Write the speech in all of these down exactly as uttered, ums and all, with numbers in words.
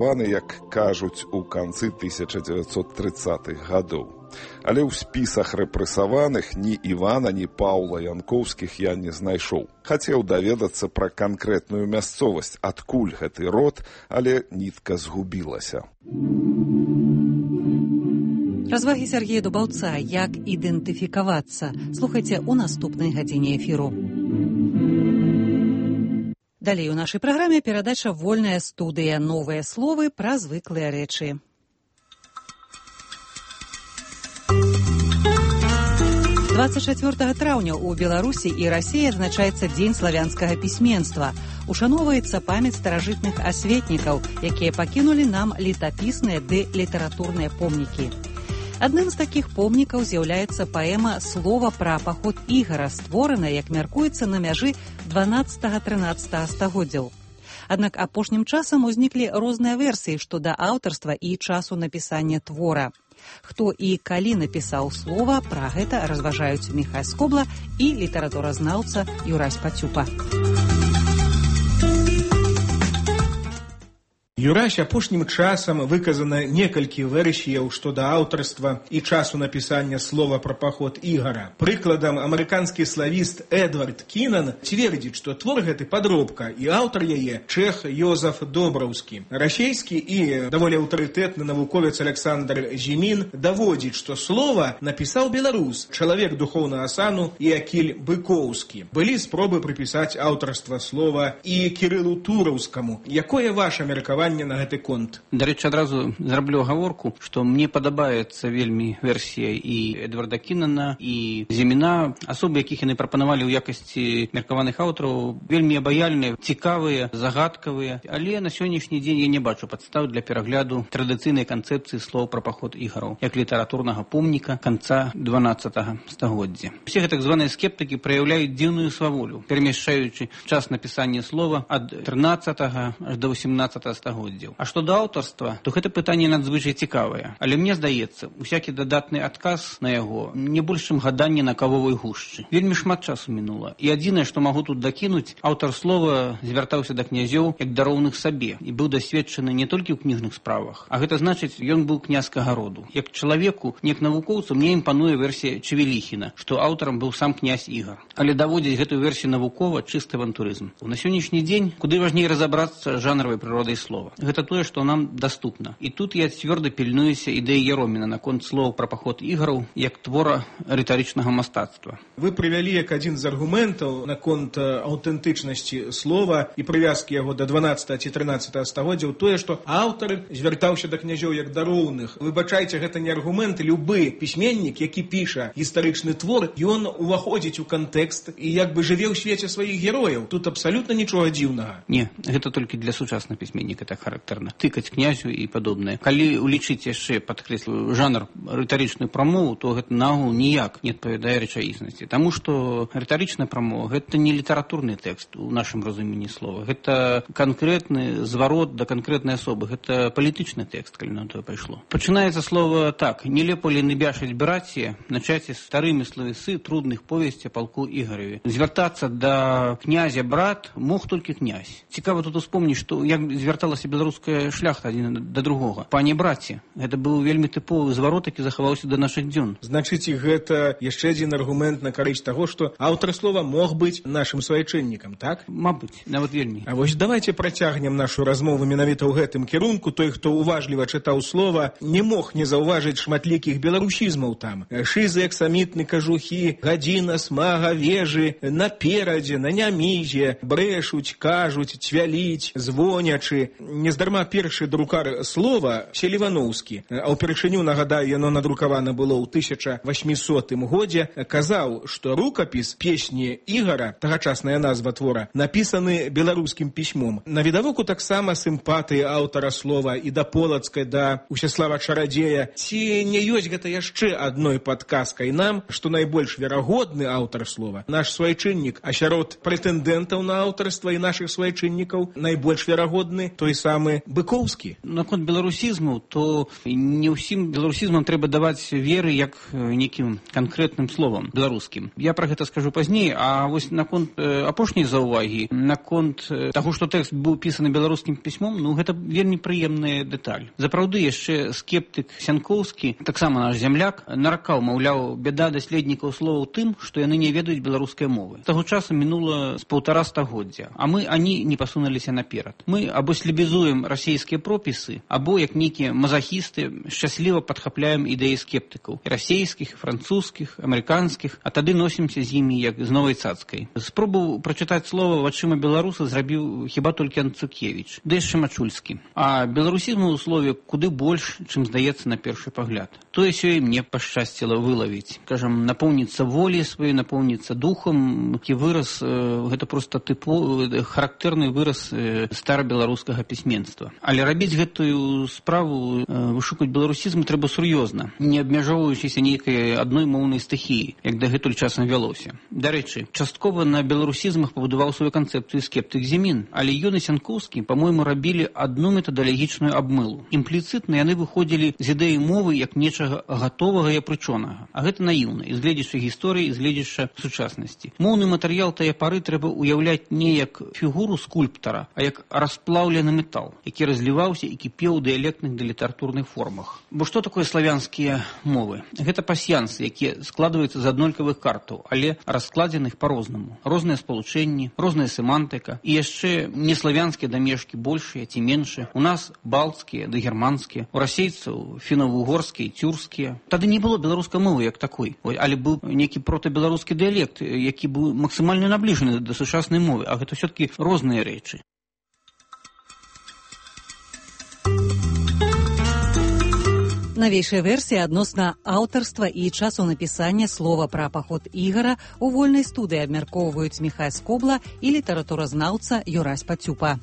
як кажуць, у канцы тысяча дзевяцьсот трыццатых гадоў. Але ў спісах рэпрэсаваных ні Івана, ні Паўла Янкоўскіх я не знайшоў. Хацеў даведацца пра канкрэтную мясцовасць, адкуль гэты род, але нітка згубілася. Развагі Сергея Дубаўца, як ідэнтыфікавацца, слухайце ў наступнай гадзіне эфіру. Далей у нашай праграме перадача «Вольная студыя. Новыя словы пра звыклыя рэчы». дваццаць чацвёртага траўня ў Беларусі і Расіі адзначаецца Дзень славянскага пісьменства. Ушаноўваецца памяць старажытных асветнікаў, якія пакінулі нам летапісныя ды літаратурныя помнікі. Адным з такіх помнікаў з'яўляецца паэма «Слова пра паход Ігара», створаная, як мяркуецца, на мяжы дванаццатага-трынаццатага стагоддзяў. Аднак апошнім часам узніклі розныя версіі што да аўтарства і часу напісання твора. Хто і калі напісаў слова, пра гэта разважаюць Міхай Скобла і літаратуразнаўца Юрась Пацюпа. Юрась, апошнім часам выказана некалькі версіяў што да аўтарства і часу напісання слова пра паход Ігара. Прыкладам, амерыканскі славіст Эдвард Кінан цвердзіць, што твор гэты падробка, і аўтар яе чэх Йозаф Добраўскі. Расейскі і даволі аўтарытэтны навуковец Александр Зімін даводзіць, што слова напісаў беларус, чалавек духоўнага сану Іакіль Быкоўскі. Былі спробы прыпісаць аўтарства слова і Кірылу Тураўскаму. Якое ваше меркаванне на гэты конт? Дарэчы, адразу зраблю агаворку, што мне падабаецца вельмі версія і Эдварда Кінана, і Зіміна. Асобы, якіх яны прапанавалі ў якасці меркаваных аўтараў, вельмі абаяльныя, цікавыя, загадкавыя. Але на сённяшні дзень я не бачу падстаў для перагляду традыцыйнай канцэпцыі слоў пра паход Ігараў, як літаратурнага помніка канца дванаццатага стагоддзя. Усе гэтак званыя скептыкі праяўляюць дзіўную сваволю, перамяшчаючы час напісання слова ад трынаццатага аж да восемнаццатага стагоддзя. А што да аўтарства, то гэта пытанне надзвычай цікавае. Але мне здаецца, усякі дадатны адказ на яго не больш чым гаданне на кавовай гушчы. Вельмі шмат часу мінула. І адзінае, што магу тут дакінуць, аўтар слова звяртаўся да князёў як да роўных сабе і быў дасведчаны не толькі ў кніжных справах, а гэта значыць, ён быў князькага роду. Як чалавеку, не як навукоўцу, мне імпануе версія Чевеліхіна, што аўтарам быў сам князь Ігар. Але даводзіць гэтую версію навукова чысты авантурызм. На сённяшні дзень куды важней разабрацца жанравай прыродай слова. Гэта тое, што нам даступна. І тут я цвёрда пільнуюся ідэі Яроміна наконт слоў пра паход Ігараў як твора рытарычнага мастацтва. Вы прывялі як адзін з аргументаў наконт аўтэнтычнасці слова і прывязкі яго да дванаццатага ці трынаццатага стагоддзяў тое, што аўтар звяртаўся да князёў як да роўных. Выбачайце, гэта не аргумент. Любы пісьменнік, які піша гістарычны твор, ён уваходзіць у кантэкст і як бы жыве ў свеце сваіх герояў. Тут абсалютна нічога дзіўнага. Не, гэта толькі для сучаснага пісьменніка так характэрна. Тыкаць князю і падобнае. Калі улічыць яшчэ, падкрэслю, жанр рытарычную прамову, то гэта наогул ніяк не адпавядае рэчаіснасці. Таму што рытарычная прамова гэта не літаратурны тэкст у нашым разуменні слова. Гэта канкрэтны зварот да канкрэтнай асобы. Гэта палітычны тэкст, калі на тое пайшло. Пачынаецца слова так: «Не лепо ли набяшаць браці, начаць старымі словесы трудных повесці палку Ігараві». Звяртацца да князя брат мог толькі князь. Цікава тут успомніць, што як звярталася беларуская шляхта адзін да другога. Пане браце, гэта быў вельмі тыповы зварот, які захаваўся да нашых дзён. Значыць, гэта яшчэ адзін аргумент на карысць таго, што аўтар слова мог быць нашым суайчыннікам, так? Мабыць, нават вельмі. А вось давайте працягнем нашу размову менавіта ў гэтым кірунку. Той, хто уважліва чытаў слова, не мог не заўважыць шматлікіх беларусізмаў там. Шызы, аксамітны, кажухі, гадзіна, смага, вежы, наперадзе, на нямізе, брэшуць, кажуць, цвяліць, звонячы. Нездарма першы друкар слова Селівановскі, а ўпершыню, нагадаю, яно надрукавана было ў тысяча васьмісотым годзе, казаў, што рукапіс песні Ігара, тагачасная назва твора, напісаны беларускім пісьмом. Навідавоку таксама сімпатыі аўтара слова і да Полацкай, да Усяслава Чарадзея. Ці не ёсць гэта яшчэ адной падказкай нам, што найбольш верагодны аўтар слова наш суайчыннік, а сярод прэтэндэнтаў на аўтарства і нашых суайчыннікаў найбольш верагодны той самы быкоўскі. Наконт беларусізму, то не ўсім беларусізмам трэба даваць веры як некім канкрэтным словам беларускім. Я пра гэта скажу пазней, а вось наконт апошняй заўвагі, наконт таго, што тэкст быў пісаны беларускім пісьмом, ну гэта вельмі прыемная дэталь. Запраўды яшчэ скептык Сянкоўскі, таксама наш зямляк, наракаў, маўляў, бяда даследнікаў слова ў тым, што яны не ведаюць беларускай мовы. Таго часу мінула з паўтара стагоддзя, а мы ані не пасунуліся наперад. Мы або слебезуем расійскія пропісы, або, як нейкія мазахісты, шчасліва падхапляем ідэі скептыкаў, і расійскіх, і французскіх, амерыканскіх, а тады носімся з імі як з новай цацкай. Спробу прачытаць слова вачыма беларуса зрабіў хіба толькі Анцукевіч, ды яшчэ Мачульскі. А беларусізму ў слове куды больш, чым здаецца на першы пагляд. Тое сёй мне пашчасціла вылавіць. Кажам, напоўніцца волі сваёй, напоўніцца духам, які выраз, гэта проста тыпу, характэрны выраз старабеларускага пісьменства. Але рабіць гэтую справу, вышукаць беларусізм трэба сур'ёзна, не абмяжоўваючыся нейкай адной моўнай стыхіі, як дагэтуль часам вялося. Дарэчы, часткова на беларусізмах пабудаваў сваю канцэпцыю скептык Зімін, але ён і Сянкоўскі, па-мойму, рабілі адну метадалагічную абмылу. Імпліцытна яны выходзілі з ідэі мовы як нечага гатовага і апрычонага. А гэта наіўна, і з гледзяча гісторыі, і з гледзяча сучаснасці. Моўны матэрыял тае пары трэба ўяўляць не як фігуру скульптара, а як расплаўлены метал, які разліваўся і кіпеў у дыялектных да літаратурных формах. Бо што такое славянскія мовы? Гэта пасьянсы, якія складваюцца з аднолькавых картаў, але раскладзеных па-рознаму. Розныя спалучэнні, розная семантыка, і яшчэ неславянскія дамешкі большыя ці меншыя. У нас балцкія ды германскія, у расейцаў фіна-угорскія, цюркскія. Тады не было беларускай мовы як такой, але быў нейкі протабеларускі дыялект, які быў максімальна набліжаны да сучаснай мовы, а гэта ўсё-такі розныя рэчы. Навейшая версія адносна аўтарства і часу напісання слова пра паход Ігара у вольнай студыі абмяркоўваюць Міхай Скобла і літаратуразнаўца Юрась Пацюпа.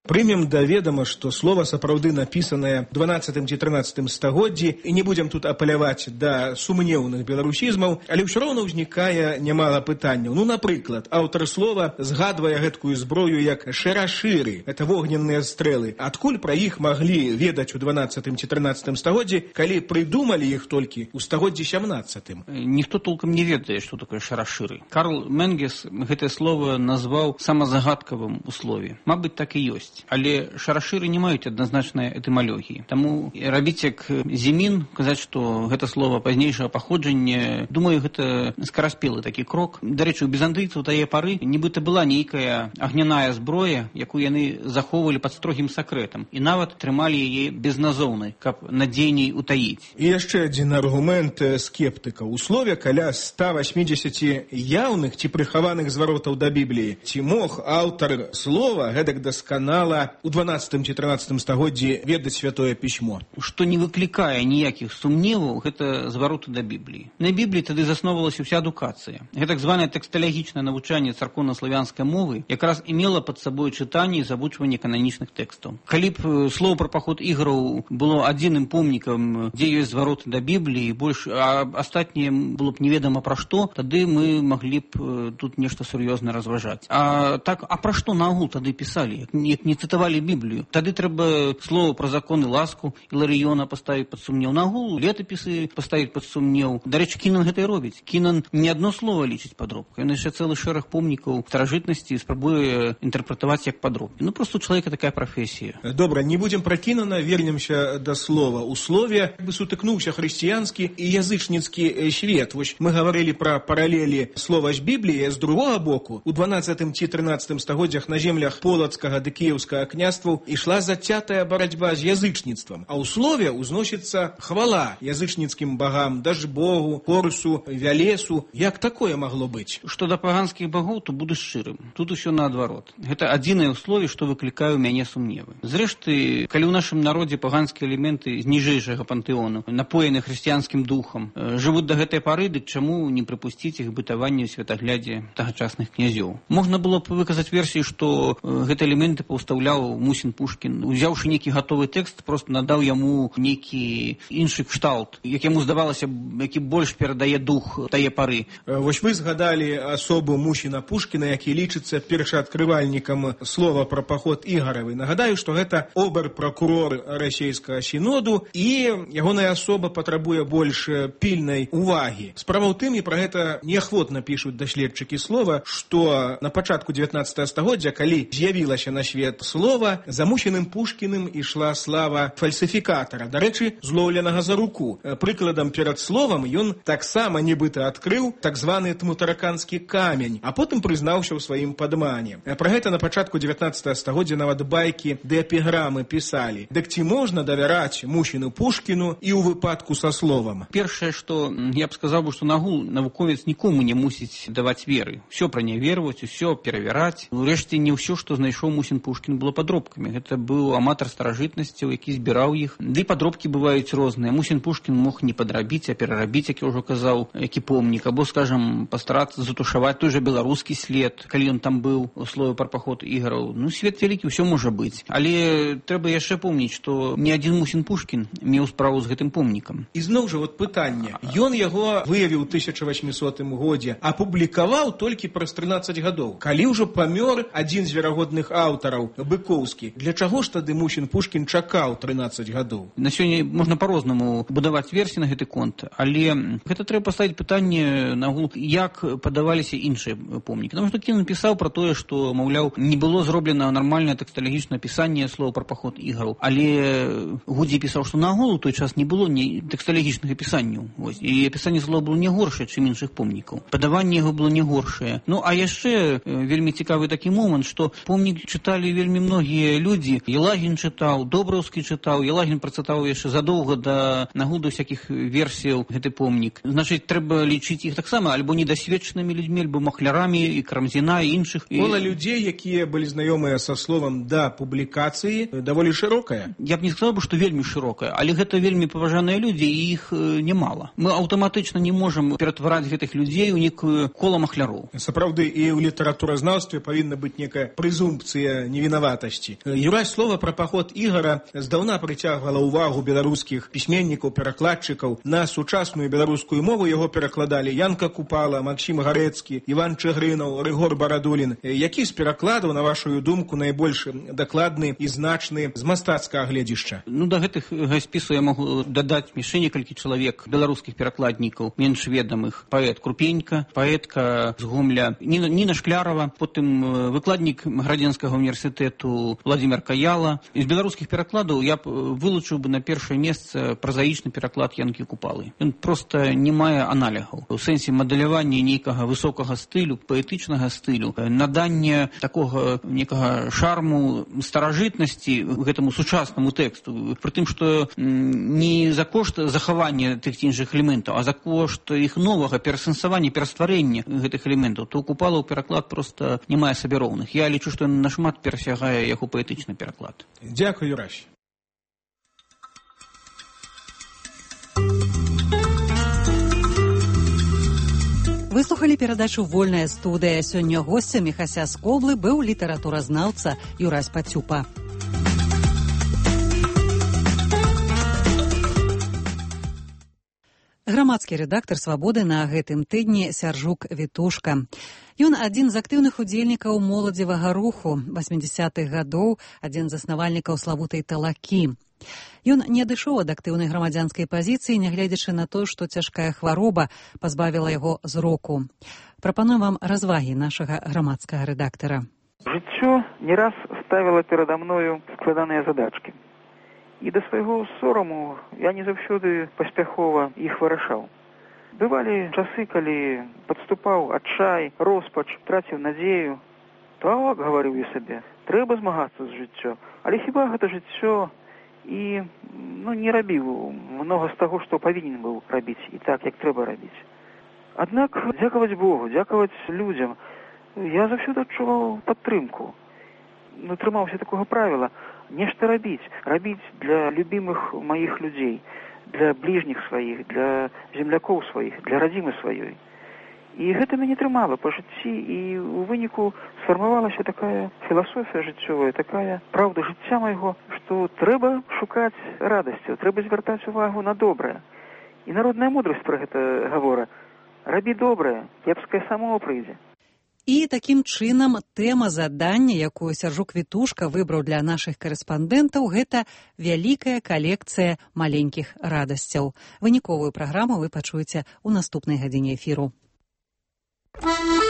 Прымем да ведама, што слова сапраўды напісанае дванаццатым ці трынаццатым стагоддзі, і не будзем тут апаляваць да сумнеўных беларусізмаў, але ўсё роўна ўзнікае нямала пытанняў. Ну, напрыклад, аўтар слова згадвае гэткую зброю як шарашыры, это вогненныя стрэлы. Адкуль пра іх маглі ведаць у дванаццатым ці трынаццатым стагоддзі, калі прыдумалі іх толькі ў стагоддзі сямнаццатым? Ніхто толкам не ведае, што такое шарашыры. Карл Менгес гэтае слово назваў самазагадкавым у слове. Мабыць, так і ёсць. Але шарашыры не маюць адназначнай этымалогіі. Таму рабіць як Зімін, казаць, што гэта слова пазнейшага паходжання, думаю, гэта скараспелы такі крок. Дарэчы, у бізантыйцаў тае пары нібыта была нейкая агняная зброя, якую яны захоўвалі пад строгім сакрэтам, і нават трымалі яе безназоўнай, каб надзейней утаіць. І яшчэ адзін аргумент скептыка. У слове каля ста васьмідзесяці яўных ці прыхаваных зваротаў да Бібліі. Ці мог аўтар слова гэтак дасканала у дванаццатым ці трынаццатым стагоддзі ведаць святое пісьмо? Што не выклікае ніякіх сумневаў, гэта звароты да Бібліі. На Бібліі тады засноўвалася ўся адукацыя. Гэта так званае тэксталагічнае навучанне царкоўна-славянскай мовы якраз і мела пад сабой чытанне і завучванне кананічных тэкстаў. Калі б слова пра паход Іграў было адзіным помнікам, дзе ёсць звароты да Бібліі, больш, а астатняе было б неведама пра што, тады мы маглі б тут нешта сур'ёзна разважаць. А так, а пра што наогул тады пісалі? Як не цытавалі Біблію. Тады трэба слова пра законы ласку Іларыёна паставіць пад сумнеў. Нагул летапісы паставіць пад сумнеў. Дарэчы, Кінан гэта і робіць. Кінан не адно слова лічыць падробкай. Ён яшчэ цэлы шэраг помнікаў старажытнасці спрабуе інтэрпрэтаваць як падробкі. Ну, проста у чалавека такая прафесія. Добра, не будзем пра Кінана, вернемся да слова. У слове бы сутыкнуўся хрысціянскі і язычніцкі свет. Вось мы гаварылі пра паралелі слова з Бібліі, з другога боку. У дванаццатым ці трынаццатым стагоддзях на землях полацкага ды кіеўскага княстваў ішла зацятая барацьба з язычніцтвам, а ў слове ўзносіцца хвала язычніцкім багам, Дажбогу, Хорусу, Вялесу. Як такое магло быць? Што да паганскіх багоў, то буду шчырым. Тут усё наадварот. Гэта адзінае ў слове, што выклікае ў мяне сумневы. Зрэшты, калі ў нашым народзе паганскія элементы з ніжэйшага пантэону, напоены хрысціянскім духам, жывуць да гэтай пары, дык чаму не прыпусціць іх бытаванне ў святаглядзе тагачасных князёў? Можна было б выказаць версію, што гэтыя элементы паўставалі выраўляў Мусін Пушкін, узяўшы нейкі гатовы тэкст, просто надаў яму нейкі іншы кшталт, як яму здавалася, які больш перадае дух тае пары. Вось вы згадалі асобу Мусіна Пушкіна, які лічыцца першаадкрывальнікам слова пра паход Ігаравай. Нагадаю, што гэта обер-пракурор расійскага сіноду, і ягоная асоба патрабуе больш пільнай увагі. Справа ў тым, і пра гэта неахвотна пішуць даследчыкі слова, што на пачатку дзевятнаццатага стагоддзя, калі з'явілася на свет слова, за Мусіным Пушкіным ішла слава фальсіфікатара, дарэчы, злоўленага за руку. Прыкладам, перад словам ён таксама нібыта адкрыў так званы тмутараканскі камень, а потым прызнаўся ў сваім падмане. Пра гэта на пачатку дзевятнаццатага стагоддзя нават байкі ды эпіграмы пісалі. Дык ці можна давяраць Мусіну Пушкіну і ў выпадку са словам? Першае, што я б сказаў бы, што нагул навуковец нікому не мусіць даваць веры. Усё праняверваць, усё перавяраць. Урэшце, не ўсё, што знайшоў Мусін Пушкін, было падробкамі. Гэта быў аматар старажытнасцяў, які збіраў іх. Ды падробкі бываюць розныя. Мусін Пушкін мог не падрабіць, а перарабіць, як я ўжо казаў, які помнік, або, скажам, пастарацца затушаваць той жа беларускі след, калі ён там быў у слове пра паход Ігараў. Ну, свет вялікі, ўсё можа быць. Але трэба яшчэ помніць, што ні адзін Мусін Пушкін меў справу з гэтым помнікам. І зноў жа, вот пытанне. Ён яго выявіў у тысяча васьмісотым годзе, апублікаваў толькі праз трынаццаць гадоў. Калі ўжо памёр адзін з верагодных аўтараў, Быкоўскі, для чаго ж тады Мусін Пушкін чакаў трынаццаць гадоў? На сёння можна па-рознаму будаваць версіі на гэты конт, але гэта трэба паставіць пытанне нагул, як падаваліся іншыя помнікі. Таму што Кін напісаў пра тое, што, маўляў, не было зроблена нармальнае тэксталагічнае апісанне слова пра паход Ігараў, але Гудзій пісаў, што нагул у той час не было ні тэксталагічных апісанняў. Вось. І апісанне слова было не горшае, чым іншых помнікаў. Падаванне яго было не горшае. Ну, а яшчэ вельмі цікавы такі момант, што помнік чыталі вельмі многія людзі. Елагін чытаў, Добраўскі чытаў, Елагін прачытаў яшчэ задоўга да нагуду всякіх версіяў гэты помнік. Значыць, трэба лічыць іх таксама альбо недасведчанымі людзьмі, альбо махлярамі, і Карамзіна, і іншых. Кола людзей, якія былі знаёмыя са словам да публікацыі, даволі шырокая. Я б не сказаў бы, што вельмі шырокая, але гэта вельмі паважаныя людзі, і іх немала. Мы аўтаматычна не можам ператвараць гэтых людзей у некую кола махляроў. Сапраўды, і ў літаратуразнаўстве павінна быць некая прэзумпцыя невінаватасці. Юрай, слова пра паход Ігара здаўна прыцягвала ўвагу беларускіх пісьменнікаў, перакладчыкаў. На сучасную беларускую мову яго перакладалі Янка Купала, Максім Гарэцкі, Іван Чыгрынаў, Рыгор Барадулін. Які з перакладаў, на вашу думку, найбольш дакладны і значны з мастацкага гледзішча? Ну, да гэтых спісу я магу дадаць яшчэ некалькі чалавек беларускіх перакладнікаў, менш ведамых. Паэт Крупенька, паэтка з Гомля Ніна, Ніна Шклярова, потым выкладнік Градзенскага універсітэту Владзімир Каяла. З беларускіх перакладаў я б вылучыў бы на першае месца празаічны пераклад Янкі Купалы. Ён проста не мае аналігаў. У сэнсе мадэлявання нейкага высокага стылю, паэтычнага стылю, наданне такога некага шарму старажытнасці гэтаму сучаснаму тэксту. Пры тым, што не за кошт захавання тых ці іншых элементаў, а за кошт іх новага перасэнсавання, перастварэння гэтых элементаў, то Купала ў пераклад проста не мае сабе роўных. Я лічу, што ён нашмат перасягае яго паэтычны пераклад. Дзякуй, Юрась. Выслухалі перадачу «Вольная студыя». Сёння госцем Міхася з Коблы быў літаратуразнаўца Юрась Пацюпа. Грамадскі рэдактар «Свабоды» на гэтым тыдні Сяржук Вітушка. Ён адзін з актыўных удзельнікаў моладзевага руху васьмідзясятых гадоў, адзін з заснавальнікаў славутай «Талакі». Ён не адышоў ад актыўнай грамадзянскай пазіцыі, нягледзячы на тое, што цяжкая хвароба пазбавіла яго зроку. Прапануем вам развагі нашага грамадскага рэдактара. Жыццё не раз ставіла перада мною складаныя задачкі. І да свайго сораму я не заўсёды паспяхова іх вырашаў. Бывалі часы, калі падступаў адчай, роспач, траціў надзею. Так, гаварыў я сабе, трэба змагацца з жыццё. Але хіба гэта жыццё? І ну, не рабіў многа з таго, што павінен быў рабіць, і так, як трэба рабіць. Аднак, дзякаваць Богу, дзякаваць людзям, я заўсёды адчуваў падтрымку. Ну, трымаўся такога правіла. Нешта рабіць, рабіць для любімых маіх людзей, для бліжніх сваіх, для землякоў сваіх, для радзімы сваёй. І гэта мяне трымала па жыцці, і ў выніку сфармавалася такая філасофія жыццёвая, такая праўда жыцця майго, што трэба шукаць радасцю, трэба звяртаць увагу на добрае. І народная мудрасць пра гэта гавора: рабі добрае, кепскае само прыйдзе. І такім чынам тэма задання, якую Сяржук Вітушка выбраў для нашых карэспандэнтаў, гэта вялікая калекцыя маленькіх радасцяў. Выніковую праграму вы пачуеце ў наступнай гадзіне эфіру. Thank you.